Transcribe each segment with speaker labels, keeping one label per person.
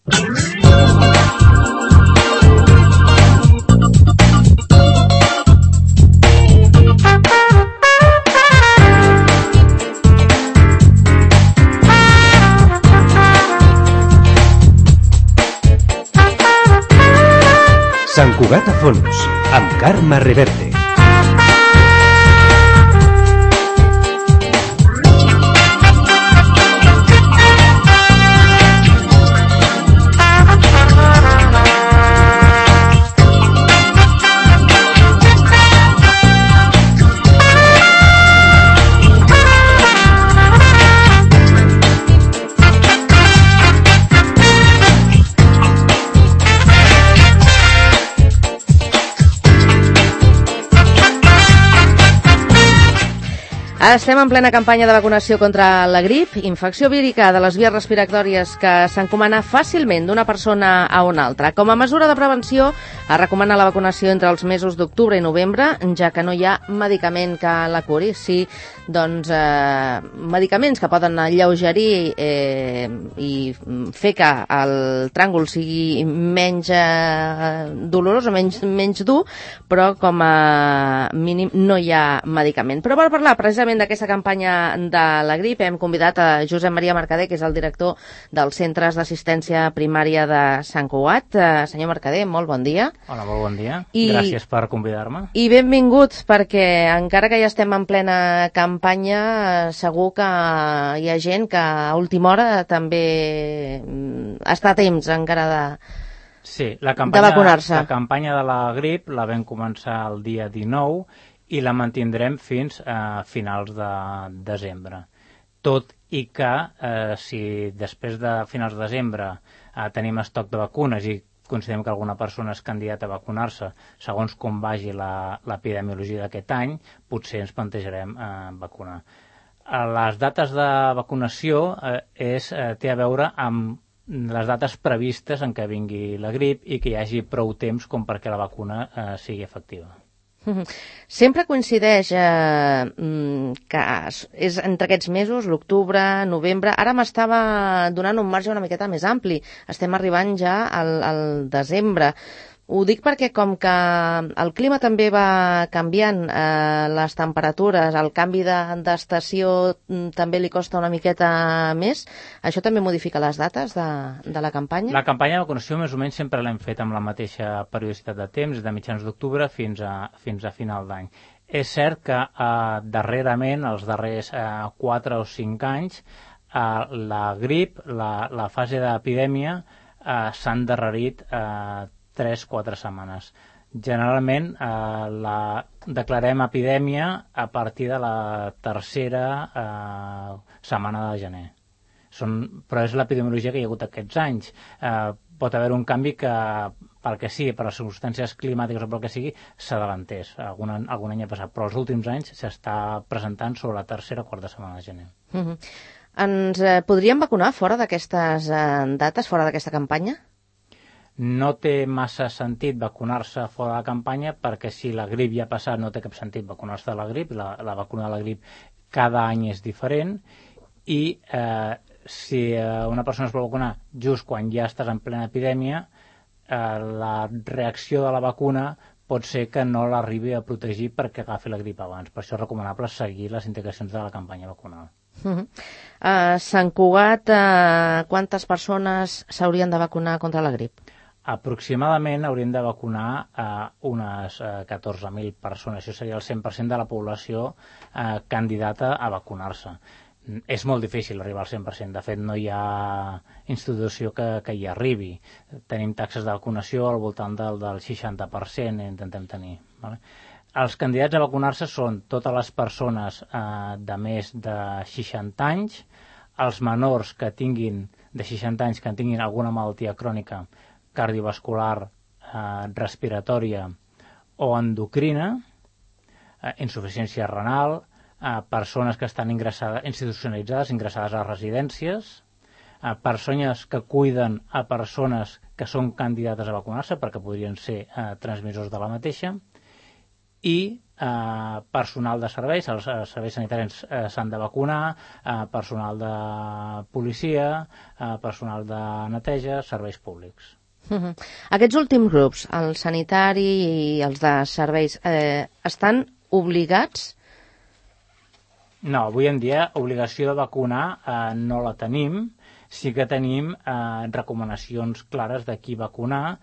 Speaker 1: Sant Cugat a fons, amb Carme Reverte.
Speaker 2: Estem en plena campanya de vacunació contra la grip, infecció vírica de les vies respiratòries que s'encomana fàcilment d'una persona a una altra. Com a mesura de prevenció, es recomana la vacunació entre els mesos d'octubre i novembre, ja que no hi ha medicament que la curi. Sí, doncs, medicaments que poden alleugerir i fer que el tràngol sigui menys dolorós o menys dur, però com a mínim no hi ha medicament. Però per parlar precisament d'aquesta campanya de la grip hem convidat a Josep Maria Mercader, que és el director dels Centres d'Assistència Primària de Sant Cugat. Senyor Mercader, molt bon dia.
Speaker 3: Hola, molt bon dia. Gràcies per convidar-me.
Speaker 2: I benvingut, perquè encara que ja estem en plena campanya, segur que hi ha gent que a última hora també està a temps encara de vacunar-se.
Speaker 3: La campanya de la grip la vam començar el dia 19 i la mantindrem fins a finals de desembre. Tot i que si després de finals de desembre tenim estoc de vacunes i considerem que alguna persona és candidata a vacunar-se, segons com vagi l'epidemiologia d'aquest any, potser ens plantejarem vacunar. Les dates de vacunació té a veure amb les dates previstes en què vingui la grip i que hi hagi prou temps com perquè la vacuna sigui efectiva.
Speaker 2: Sempre coincideix que és entre aquests mesos, l'octubre, novembre. Ara m'estava donant un marge una miqueta més ampli. Estem arribant ja al desembre. Ho dic perquè com que el clima també va canviant, les temperatures, el canvi d'estació també li costa una miqueta més, això també modifica les dates de la campanya?
Speaker 3: La campanya de vacunació més o menys sempre l'hem fet amb la mateixa periodicitat de temps, de mitjans d'octubre fins a final d'any. És cert que darrerament, els darrers 4 o 5 anys, la grip, la fase d'epidèmia, s'ha endarrerit 3-4 setmanes. Generalment declarem epidèmia a partir de la tercera setmana de gener. Però és l'epidemiologia que hi ha hagut aquests anys. Pot haver un canvi que, pel que sigui, per les circumstàncies climàtiques o pel que sigui, s'adavantés. Algun any ha passat, però els últims anys s'està presentant sobre la tercera o quarta setmana de gener.
Speaker 2: Ens podríem vacunar fora d'aquestes dates, fora d'aquesta campanya?
Speaker 3: No té massa sentit vacunar-se fora de la campanya perquè si la grip ja ha passat no té cap sentit vacunar-se de la grip. La vacuna de la grip cada any és diferent i si una persona es vol vacunar just quan ja estàs en plena epidèmia, la reacció de la vacuna pot ser que no l'arribi a protegir perquè agafi la grip abans. Per això és recomanable seguir les indicacions de la campanya vacunal.
Speaker 2: A Sant Cugat, quantes persones s'haurien de vacunar contra la grip?
Speaker 3: Aproximadament hauríem de vacunar unes 14.000 persones. Això seria el 100% de la població candidata a vacunar-se. És molt difícil arribar al 100%. De fet, no hi ha institució que hi arribi. Tenim taxes de vacunació al voltant del 60%, intentem tenir. Vale? Els candidats a vacunar-se són totes les persones de més de 60 anys, els menors que tinguin de 60 anys que tinguin alguna malaltia crònica cardiovascular, respiratòria o endocrina, insuficiència renal, persones que estan institucionalitzades, ingressades a residències, persones que cuiden a persones que són candidates a vacunar-se perquè podrien ser transmissors de la mateixa, i personal de serveis, els serveis sanitaris s'han de vacunar, personal de policia, personal de neteja, serveis públics.
Speaker 2: Aquests últims grups, el sanitari i els de serveis, estan obligats?
Speaker 3: No, avui en dia obligació de vacunar no la tenim, sí que tenim recomanacions clares de qui vacunar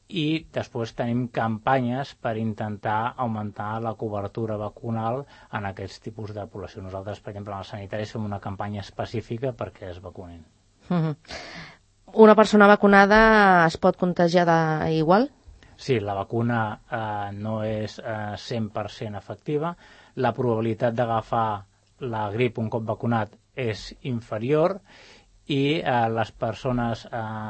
Speaker 3: i després tenim campanyes per intentar augmentar la cobertura vacunal en aquests tipus de població. Nosaltres, per exemple, en els sanitaris fem una campanya específica perquè es vacunin.
Speaker 2: Una persona vacunada es pot contagiar igual?
Speaker 3: Sí, la vacuna no és 100% efectiva. La probabilitat d'agafar la grip un cop vacunat és inferior i les persones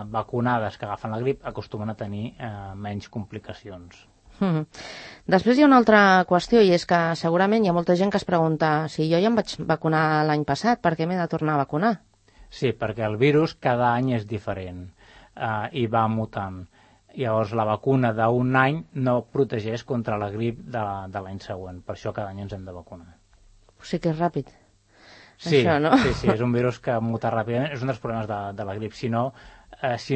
Speaker 3: vacunades que agafen la grip acostumen a tenir menys complicacions.
Speaker 2: Després hi ha una altra qüestió i és que segurament hi ha molta gent que es pregunta si jo ja em vaig vacunar l'any passat, per què m'he de tornar a vacunar?
Speaker 3: Sí, perquè el virus cada any és diferent i va mutant. Llavors la vacuna d'un any no protegeix contra la grip de l'any següent, per això cada any ens hem de vacunar.
Speaker 2: O sigui que és ràpid.
Speaker 3: Sí,
Speaker 2: això, no?
Speaker 3: sí, és un virus que muta ràpidament, és un dels problemes de la grip. Si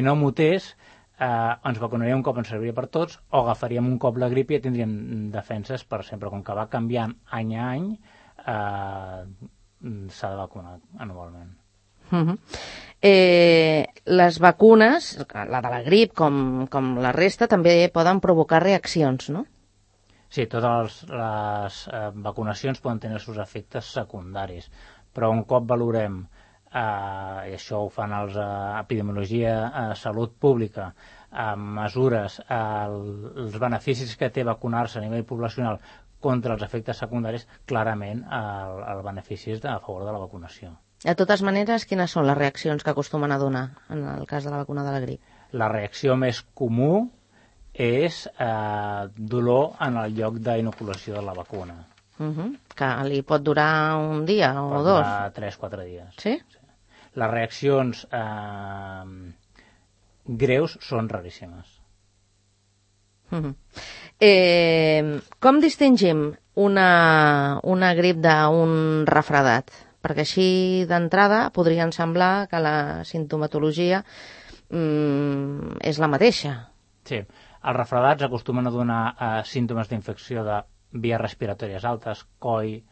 Speaker 3: no mutés, ens vacunaríem un cop, ens serviria per tots, o agafaríem un cop la grip i ja tindríem defenses per sempre. Com que va canviant any a any, s'ha de vacunar anualment.
Speaker 2: Les vacunes, la de la grip com la resta, també poden provocar reaccions, no?
Speaker 3: Sí, totes les vacunacions poden tenir els seus efectes secundaris, però un cop valorem, i això ho fan els epidemiologia, salut pública, mesures, els beneficis que té vacunar-se a nivell poblacional contra els efectes secundaris, clarament el benefici és a favor de la vacunació.
Speaker 2: De totes maneres, quines són les reaccions que acostumen a donar en el cas de la vacuna de la grip?
Speaker 3: La reacció més comú és dolor en el lloc d'inoculació de la vacuna.
Speaker 2: Que li pot durar un dia o
Speaker 3: pot
Speaker 2: dos?
Speaker 3: Pot durar 3-4 dies.
Speaker 2: Sí?
Speaker 3: Les reaccions greus són raríssimes.
Speaker 2: Com distingim una grip d'un refredat? Perquè així d'entrada podrien semblar que la sintomatologia és la mateixa.
Speaker 3: Sí, els refredats acostumen a donar símptomes d'infecció de vies respiratòries altes, coll,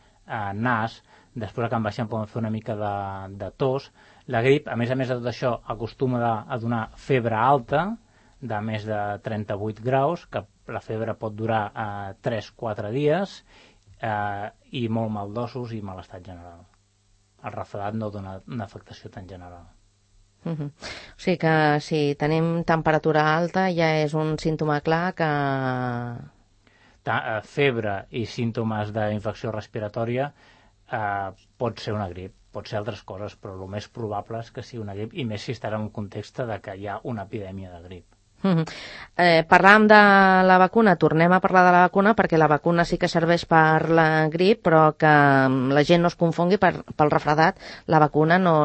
Speaker 3: nas, després que en baixem poden fer una mica de tos. La grip, a més de tot això, acostuma a donar febre alta, de més de 38 graus, que la febre pot durar 3-4 dies, i molt mal d'ossos i malestat general. El refredat no dona una afectació tan general.
Speaker 2: O sigui que si tenim temperatura alta ja és un símptoma clar que...
Speaker 3: Febre i símptomes d'infecció respiratòria pot ser una grip, pot ser altres coses, però el més probable és que sigui una grip, i més si estarà en un context de que hi ha una epidèmia de grip.
Speaker 2: Parlàvem de la vacuna, tornem a parlar de la vacuna perquè la vacuna sí que serveix per la grip, però que la gent no es confongui pel refredat, la vacuna no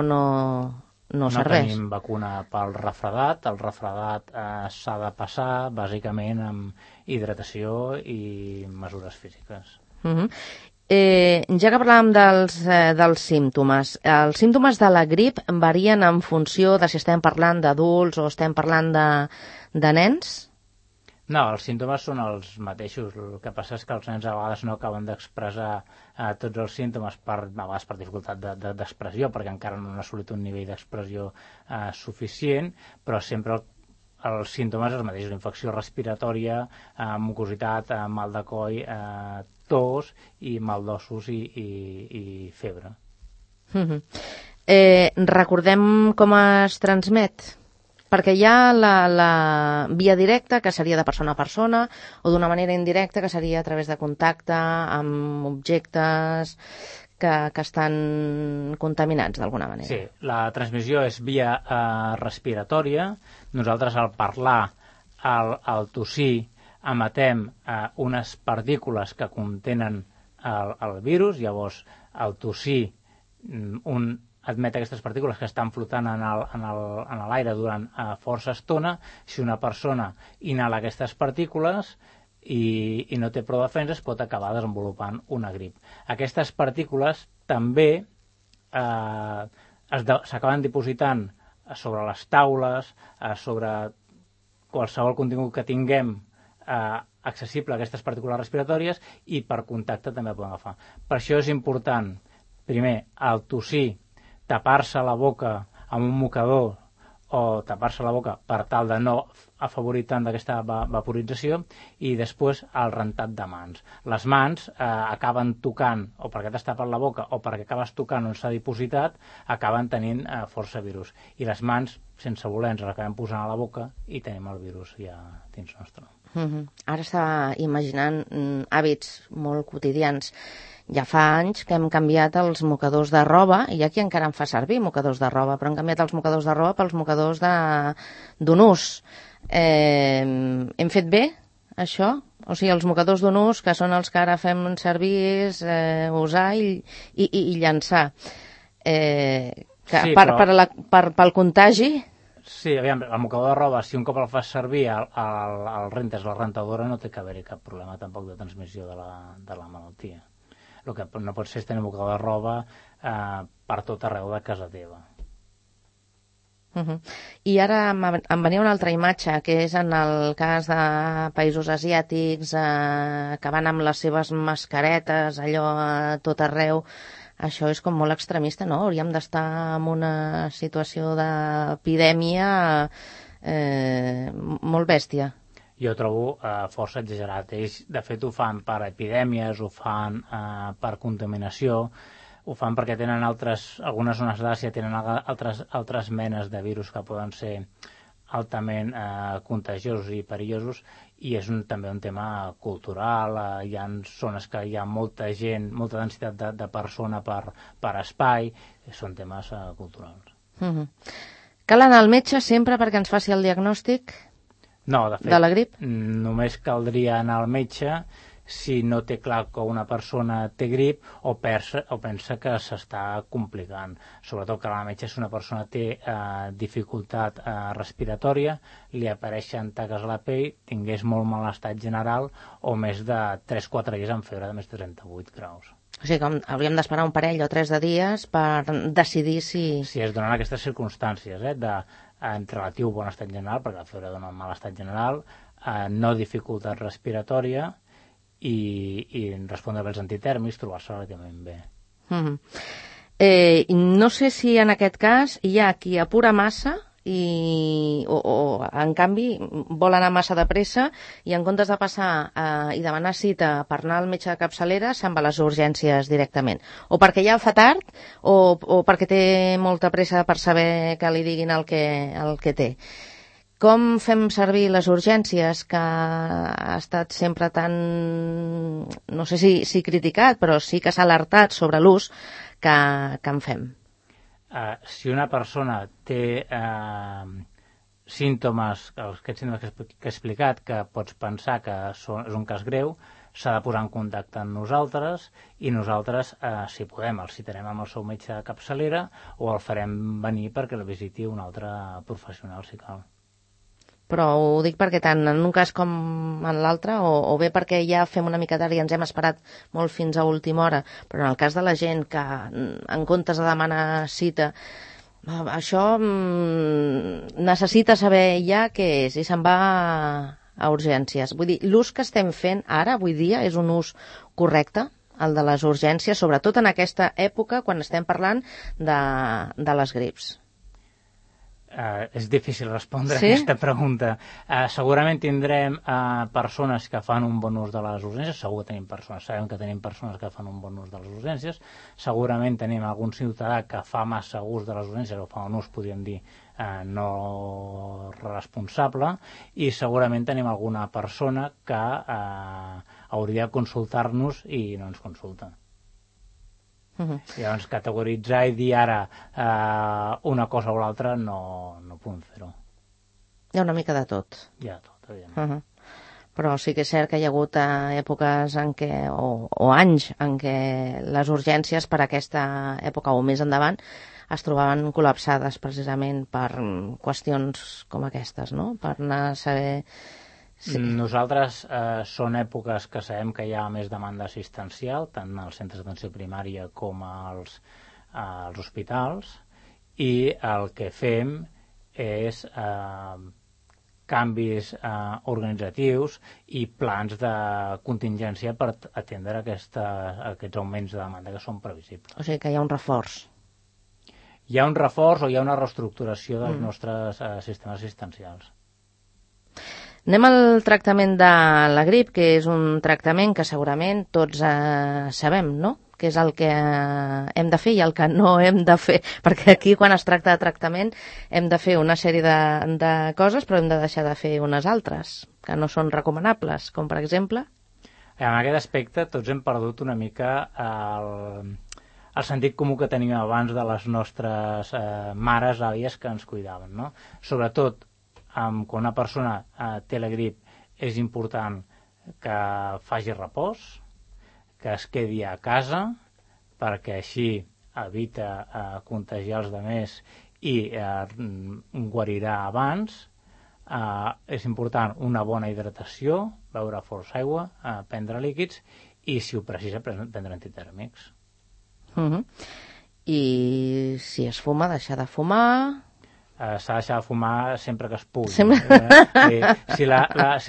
Speaker 2: serveix.
Speaker 3: No tenim vacuna pel refredat, el refredat s'ha de passar bàsicament amb hidratació i mesures físiques.
Speaker 2: Ja que parlàvem dels símptomes, els símptomes de la grip varien en funció de si estem parlant d'adults o estem parlant de nens?
Speaker 3: No, els símptomes són els mateixos. El que passa és que els nens a vegades no acaben d'expressar tots els símptomes, a vegades per dificultat d'expressió, perquè encara no han assolit un nivell d'expressió suficient, però sempre els símptomes els mateixos: infecció respiratòria, mucositat, mal de coll, tos i mal d'ossos i febre.
Speaker 2: Recordem com es transmet? Perquè hi ha la via directa, que seria de persona a persona, o d'una manera indirecta, que seria a través de contacte amb objectes que estan contaminats d'alguna manera.
Speaker 3: Sí, la transmissió és via respiratòria. Nosaltres, al parlar, al tossir, emetem unes partícules que contenen el virus. Llavors, al tossir, un admet aquestes partícules que estan flotant en l'aire durant força estona. Si una persona inhala aquestes partícules i no té prou defenses, pot acabar desenvolupant una grip. Aquestes partícules també s'acaben dipositant sobre les taules, sobre qualsevol contingut que tinguem accessible a aquestes partícules respiratòries, i per contacte també poden agafar. Per això és important, primer, al tossir, tapar-se la boca amb un mocador o tapar-se la boca per tal de no afavorir tant d'aquesta vaporització, i després el rentat de mans. Les mans acaben tocant, o perquè t'has tapat la boca o perquè acabes tocant on s'ha dipositat, acaben tenint força virus. I les mans, sense voler, ens les acabem posant a la boca i tenim el virus ja dins nostre.
Speaker 2: Ara estava imaginant hàbits molt quotidians. Ja fa anys que hem canviat els mocadors de roba, i aquí encara en fa servir mocadors de roba, però hem canviat els mocadors de roba pels mocadors d'un ús. Hem fet bé això? O sigui, els mocadors d'un ús, que són els que ara fem servir, és usar i llançar.
Speaker 3: Sí,
Speaker 2: pel contagi...
Speaker 3: Sí, aviam, el mocador de roba, si un cop el fas servir, el rentes, la rentadora, no té que haver-hi cap problema tampoc de transmissió de la malaltia. El que no pot ser és tenir mocador de roba per tot arreu de casa teva.
Speaker 2: I ara em venia una altra imatge, que és en el cas de països asiàtics que van amb les seves mascaretes, allò a tot arreu. Això és com molt extremista, no? Hauríem d'estar en una situació d'epidèmia molt bèstia.
Speaker 3: Jo trobo força exagerat. Ells, de fet, ho fan per epidèmies, ho fan per contaminació, ho fan perquè tenen algunes zones d'Àsia tenen altres menes de virus que poden ser altament contagiosos i perillosos, i és també un tema cultural. Hi ha zones que hi ha molta gent, molta densitat de persona per espai, són temes culturals.
Speaker 2: Cal anar al metge sempre perquè ens faci el diagnòstic?
Speaker 3: No, de fet,
Speaker 2: de la grip?
Speaker 3: Només caldria anar al metge si no té clar que una persona té grip o pensa que s'està complicant. Sobretot que al metge, si una persona té dificultat respiratòria, li apareixen taques a la pell, tingués molt mal estat general o més de 3-4 dies amb febre de més de 38 graus.
Speaker 2: O sigui, com hauríem d'esperar un parell o 3 de dies per decidir si...
Speaker 3: Si es donen aquestes circumstàncies, en relatiu bon estat general, perquè la febre dona un mal estat general, no dificultat respiratòria, i respondre bé als antitèrmics, trobar-se relativament bé.
Speaker 2: No sé si en aquest cas hi ha qui apura massa o en canvi vol anar massa de pressa i en comptes de passar i demanar cita per anar al metge de capçalera se'n va a les urgències directament, o perquè ja fa tard o perquè té molta pressa per saber que li diguin el que té. Com fem servir les urgències, que ha estat sempre tan, no sé si criticat, però sí que s'ha alertat sobre l'ús que en fem?
Speaker 3: Si una persona té símptomes, aquests símptomes que he explicat, que pots pensar que és un cas greu, s'ha de posar en contacte amb nosaltres, i nosaltres, si podem, el citarem amb el seu metge de capçalera o el farem venir perquè el visiti un altre professional, si cal.
Speaker 2: Però ho dic perquè tant en un cas com en l'altre, o bé perquè ja fem una mica tard i ens hem esperat molt fins a última hora, però en el cas de la gent que en comptes de demanar cita, això necessita saber ja què és i se'n va a urgències. Vull dir, l'ús que estem fent ara, avui dia, és un ús correcte, el de les urgències, sobretot en aquesta època quan estem parlant de les grips.
Speaker 3: És difícil respondre a aquesta pregunta. Segurament tindrem persones que fan un bon ús de les urgències, sabem que tenim persones que fan un bon ús de les urgències, segurament tenim algun ciutadà que fa massa ús de les urgències o fa un ús, podríem dir, no responsable, i segurament tenim alguna persona que hauria de consultar-nos i no ens consulta. Llavors, categoritzar i dir ara una cosa o l'altra no podem fer-ho.
Speaker 2: Hi ha una mica de tot.
Speaker 3: Hi ha tot, evidentment.
Speaker 2: Però sí que és cert que hi ha hagut èpoques en què, o anys en què les urgències per aquesta època o més endavant es trobaven col·lapsades precisament per qüestions com aquestes, no? Per anar a saber
Speaker 3: Sí. Nosaltres són èpoques que sabem que hi ha més demanda assistencial, tant als centres d'atenció primària com als hospitals, i el que fem és canvis organitzatius i plans de contingència per atendre aquests augments de demanda que són previsibles.
Speaker 2: O sigui que hi ha un reforç.
Speaker 3: Hi ha un reforç o hi ha una reestructuració dels nostres sistemes assistencials.
Speaker 2: Anem al tractament de la grip, que és un tractament que segurament tots sabem, no?, que és el que hem de fer i el que no hem de fer, perquè aquí quan es tracta de tractament hem de fer una sèrie de coses, però hem de deixar de fer unes altres que no són recomanables, com per exemple...
Speaker 3: En aquest aspecte tots hem perdut una mica el sentit comú que teníem abans de les nostres mares, àvies que ens cuidaven, no? Sobretot quan una persona té la grip és important que faci repòs, que es quedi a casa, perquè així evita contagiar els altres i guarirà abans. És important una bona hidratació, beure força aigua, prendre líquids i, si ho precisa, prendre antitèrmics.
Speaker 2: I si es fuma, deixar de fumar...
Speaker 3: S'ha de deixar de fumar sempre que es pugui. Si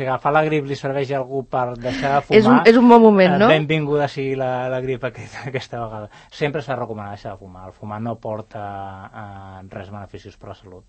Speaker 3: agafar la grip li serveix a algú per deixar de fumar...
Speaker 2: És un bon moment, no?
Speaker 3: Benvinguda sigui la grip aquesta vegada. Sempre s'ha de recomanar deixar de fumar. El fumar no porta res beneficis per la salut.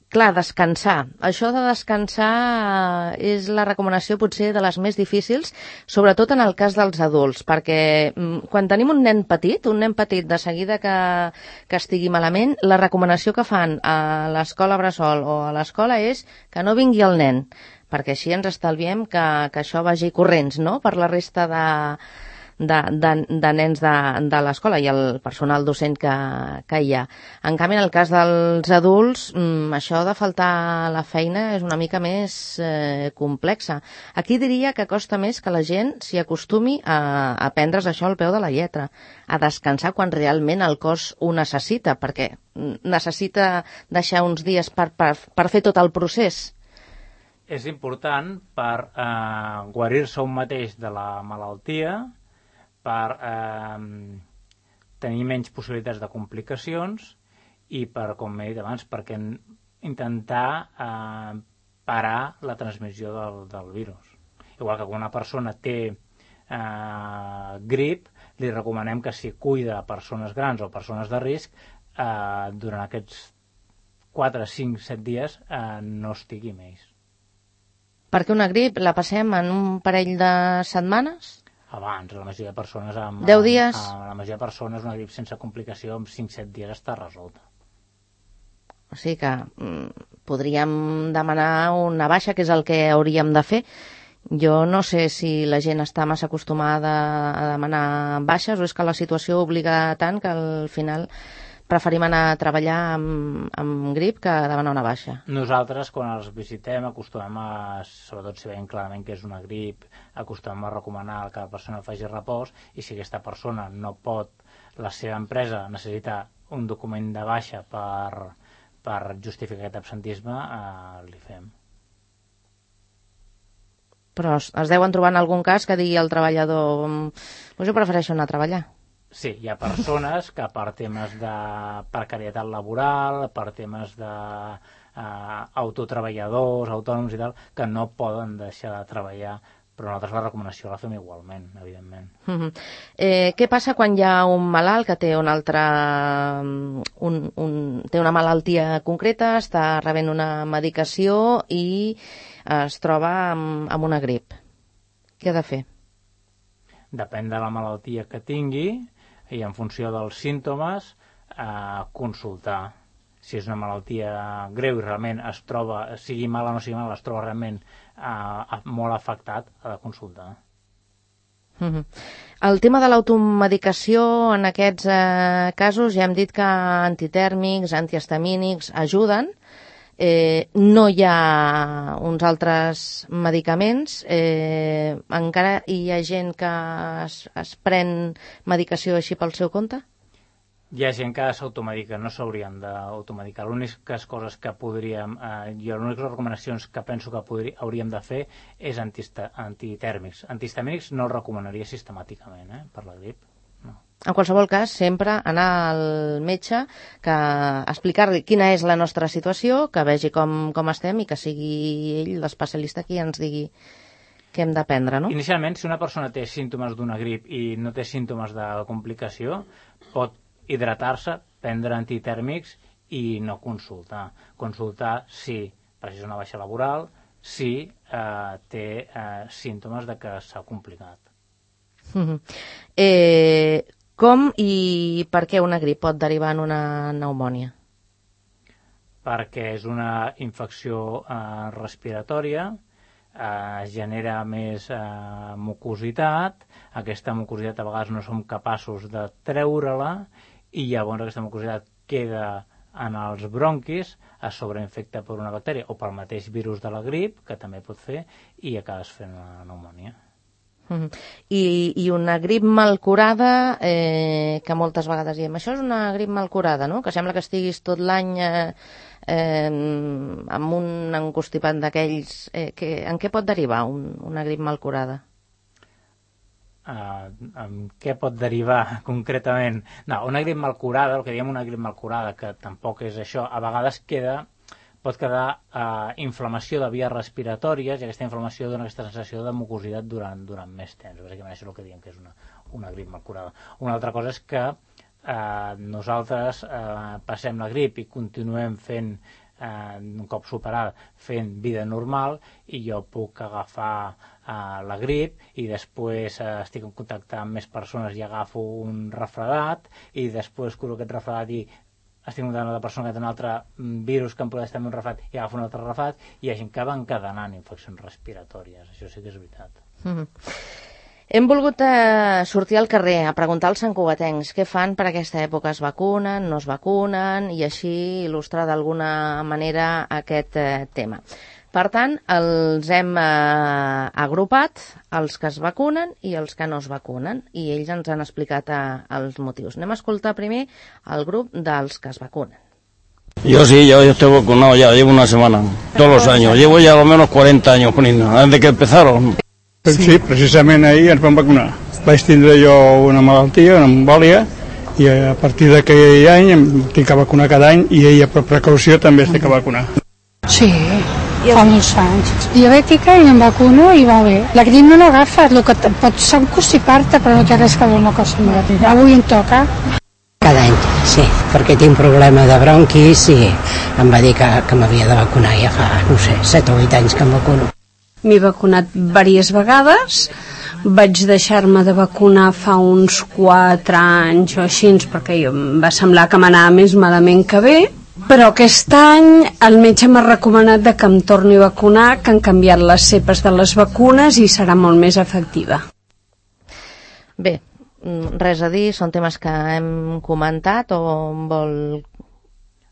Speaker 2: Clar, descansar. Això de descansar és la recomanació potser de les més difícils, sobretot en el cas dels adults, perquè quan tenim un nen petit de seguida que estigui malament, la recomanació que fan a l'escola bressol o a l'escola és que no vingui el nen, perquè així ens estalviem que això vagi corrents, no?, per la resta de nens de l'escola i el personal docent que hi ha. En canvi, en el cas dels adults, això de faltar a la feina és una mica més complexa. Aquí diria que costa més que la gent s'hi acostumi a prendre's això al peu de la lletra, a descansar quan realment el cos ho necessita, perquè necessita deixar uns dies per fer tot el procés.
Speaker 3: És important per guarir-se un mateix de la malaltia, per tenir menys possibilitats de complicacions i per, com he dit abans, perquè intentar parar la transmissió del virus. Igual que quan una persona té grip, li recomanem que si cuida persones grans o persones de risc, durant aquests 4, 5, 7 dies no estigui més.
Speaker 2: Perquè una grip la passem en un parell de setmanes?
Speaker 3: Abans, la majoria de persones...
Speaker 2: 10 dies?
Speaker 3: La majoria de persones, una grip sense complicació, en 5-7 dies està resolta.
Speaker 2: O sigui que podríem demanar una baixa, que és el que hauríem de fer. Jo no sé si la gent està massa acostumada a demanar baixes o és que la situació obliga tant que al final preferim anar a treballar amb grip que demanar una baixa.
Speaker 3: Nosaltres, quan els visitem, acostumem sobretot si veiem clarament que és una grip, acostumem a recomanar que la persona faci repòs, i si aquesta persona no pot, la seva empresa necessita un document de baixa per justificar aquest absentisme, li fem.
Speaker 2: Però es deuen trobar en algun cas que digui el treballador jo prefereixo anar a treballar.
Speaker 3: Sí, hi ha persones que per temes de precarietat laboral, per temes d'autotreballadors, autònoms i tal, que no poden deixar de treballar, però nosaltres la recomanació la fem igualment, evidentment.
Speaker 2: Què passa quan hi ha un malalt que té té una malaltia concreta, està rebent una medicació i es troba amb una grip? Què ha de fer?
Speaker 3: Depèn de la malaltia que tingui i en funció dels símptomes consultar. Si és una malaltia greu i realment es troba, sigui mala o no sigui mala, es troba realment molt afectat, ha de consultar.
Speaker 2: El tema de l'automedicació, en aquests casos ja hem dit que antitèrmics, antihistamínics ajuden. No hi ha uns altres medicaments, encara hi ha gent que es pren medicació així pel seu compte?
Speaker 3: Hi ha gent que s'automedica, no s'haurien d'automedicar. L'úniques coses que podríem, jo les úniques recomanacions que penso que hauríem de fer és antitèrmics. Antihistamínics no els recomanaria sistemàticament, per la grip. No.
Speaker 2: En qualsevol cas, sempre anar al metge, que explicar-li quina és la nostra situació, que vegi com estem i que sigui ell l'especialista qui ens digui què hem de prendre, no?
Speaker 3: Inicialment, si una persona té símptomes d'una grip i no té símptomes de complicació, pot hidratar-se, prendre antitèrmics i no consultar. Consultar si precisa una baixa laboral, si té símptomes de que s'ha complicat.
Speaker 2: Com i per què una grip pot derivar en una pneumònia?
Speaker 3: Perquè és una infecció respiratòria, genera més mucositat, aquesta mucositat a vegades no som capaços de treure-la i llavors aquesta mucositat queda en els bronquis, es sobreinfecta per una bactèria o pel mateix virus de la grip, que també pot fer, i acabes fent una pneumònia.
Speaker 2: I una grip mal curada, que moltes vegades diem, això és una grip mal curada, no? Que sembla que estiguis tot l'any amb un encostipat d'aquells. En què pot derivar una grip mal curada?
Speaker 3: En què pot derivar concretament? No, una grip mal curada, el que diem una grip mal curada, que tampoc és això, a vegades pot quedar inflamació de vies respiratòries i aquesta inflamació dona aquesta sensació de mucositat durant més temps. Bàsicament això és el que diem que és una grip mal curada. Una altra cosa és que nosaltres passem la grip i continuem fent, un cop superada, fent vida normal i jo puc agafar la grip i després estic en contacte amb més persones i agafo un refredat i després curo aquest refredat i estic en contacte amb una persona que té un altre virus que em pot estar en un refredat i agafo un altre refredat i hi ha gent que va encadenant infeccions respiratòries. Això sí que és veritat.
Speaker 2: Hem volgut sortir al carrer a preguntar als santcugatencs què fan per aquesta època, es vacunen, no es vacunen, i així il·lustrar d'alguna manera aquest tema. Per tant, els hem agrupat, els que es vacunen i els que no es vacunen, i ells ens han explicat els motius. Anem a escoltar primer el grup dels que es vacunen.
Speaker 4: Yo sí, yo estoy vacunado ya, llevo una semana, todos los años, llevo ya al menos 40 años poniendo, desde que empezaron.
Speaker 5: Sí, precisament ahir ens vam vacunar. Vaig tindre jo una malaltia, una embòlia, i a partir d'aquell any em tinc que vacunar cada any i ella per precaució també es té que vacunar.
Speaker 6: Sí, fa molts anys. Diabètica i em vacuno i va bé. La grip no l'agafes, el que pots encostipar-te, però no té res que veure una cosa amb la grip. Avui em toca.
Speaker 7: Cada any, sí, perquè tinc problema de bronquis i em va dir que m'havia de vacunar ja fa, no sé, 7 o 8 anys que em vacuno.
Speaker 8: M'he vacunat diverses vegades, vaig deixar-me de vacunar fa uns 4 anys o així, perquè em va semblar que m'anava més malament que bé, però aquest any el metge m'ha recomanat que em torni a vacunar, que han canviat les cepes de les vacunes i serà molt més efectiva.
Speaker 2: Bé, res a dir, són temes que hem comentat o vol...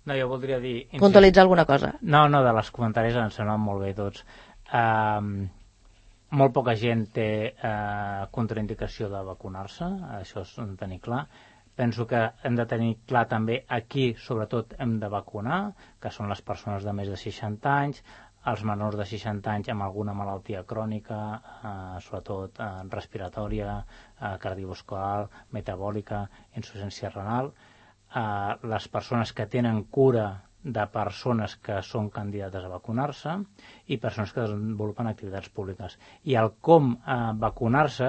Speaker 3: No, jo voldria dir...
Speaker 2: puntualitzar alguna cosa?
Speaker 3: No, de les comentaris ens semblen molt bé tots. Molt poca gent té contraindicació de vacunar-se, això és de tenir clar. Penso que hem de tenir clar també a qui sobretot hem de vacunar, que són les persones de més de 60 anys, els menors de 60 anys amb alguna malaltia crònica, sobretot respiratòria, cardiovascular, metabòlica, insuficiència renal, les persones que tenen cura de persones que són candidates a vacunar-se i persones que desenvolupen activitats públiques. I el com vacunar-se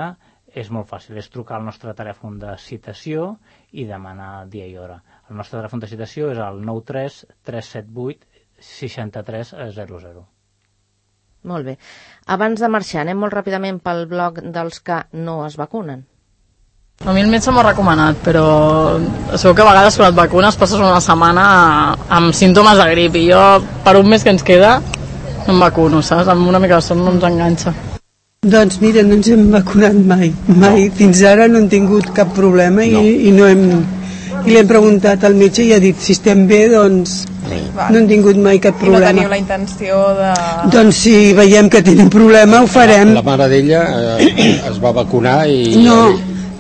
Speaker 3: és molt fàcil, és trucar al nostre telèfon de citació i demanar dia i hora. El nostre telèfon de citació és el 93 378 6300.
Speaker 2: Molt bé. Abans de marxar, anem molt ràpidament pel bloc dels que no es vacunen.
Speaker 9: A mi el metge m'ha recomanat, però sabeu que a vegades quan et vacunes passes una setmana amb símptomes de grip i jo per un mes que ens queda no em vacuno, saps? Amb una mica de son no ens enganxa.
Speaker 10: Doncs mira, no ens hem vacunat mai. Fins ara no hem tingut cap problema i no hem... I li hem preguntat al metge i ha dit si estem bé, doncs no hem tingut mai cap problema.
Speaker 9: I no teniu la intenció de...
Speaker 10: Doncs si veiem que tenim problema ho farem.
Speaker 11: La mare d'ella es va vacunar i...
Speaker 10: No,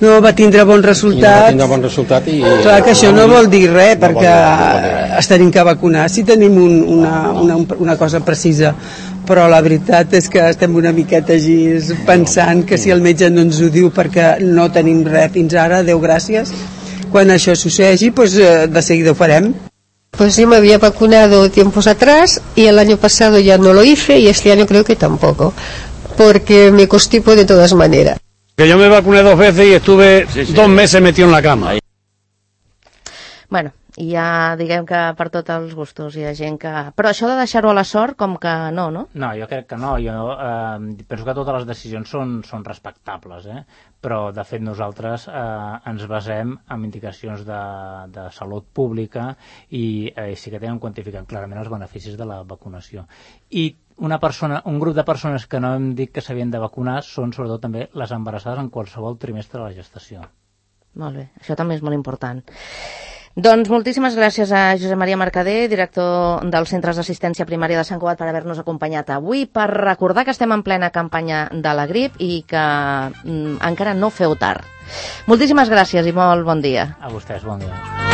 Speaker 10: no va tindre bon resultat.
Speaker 11: I
Speaker 10: clar que això no vol dir res, perquè es tenim que vacunar si tenim una cosa precisa, però la veritat és que estem una miqueta així pensant que si el metge no ens ho diu perquè no tenim res fins ara, Déu gràcies, quan això succeeixi, pues de seguida ho farem.
Speaker 12: Pues yo me había vacunado tiempos atrás y el año pasado ya no lo hice y este año creo que tampoco, porque me constipo de todas maneras.
Speaker 13: Que yo me vacuné 2 veces y estuve 2 meses metido en la cama.
Speaker 2: Bueno, i ja diguem que per tots els gustos hi ha gent que... Però això de deixar-ho a la sort, com que no, no?
Speaker 3: No, jo crec que no. Jo penso que totes les decisions són respectables, però de fet nosaltres ens basem en indicacions de salut pública i sí que tenen quantificat clarament els beneficis de la vacunació. I un grup de persones que no hem dit que s'havien de vacunar són sobretot també les embarassades en qualsevol trimestre de la gestació.
Speaker 2: Molt bé, això també és molt important. Doncs moltíssimes gràcies a Josep Maria Mercader, director dels Centres d'Assistència Primària de Sant Cugat, per haver-nos acompanyat avui, per recordar que estem en plena campanya de la grip i que encara no feu tard. Moltíssimes gràcies i molt bon dia.
Speaker 3: A vostès, bon dia.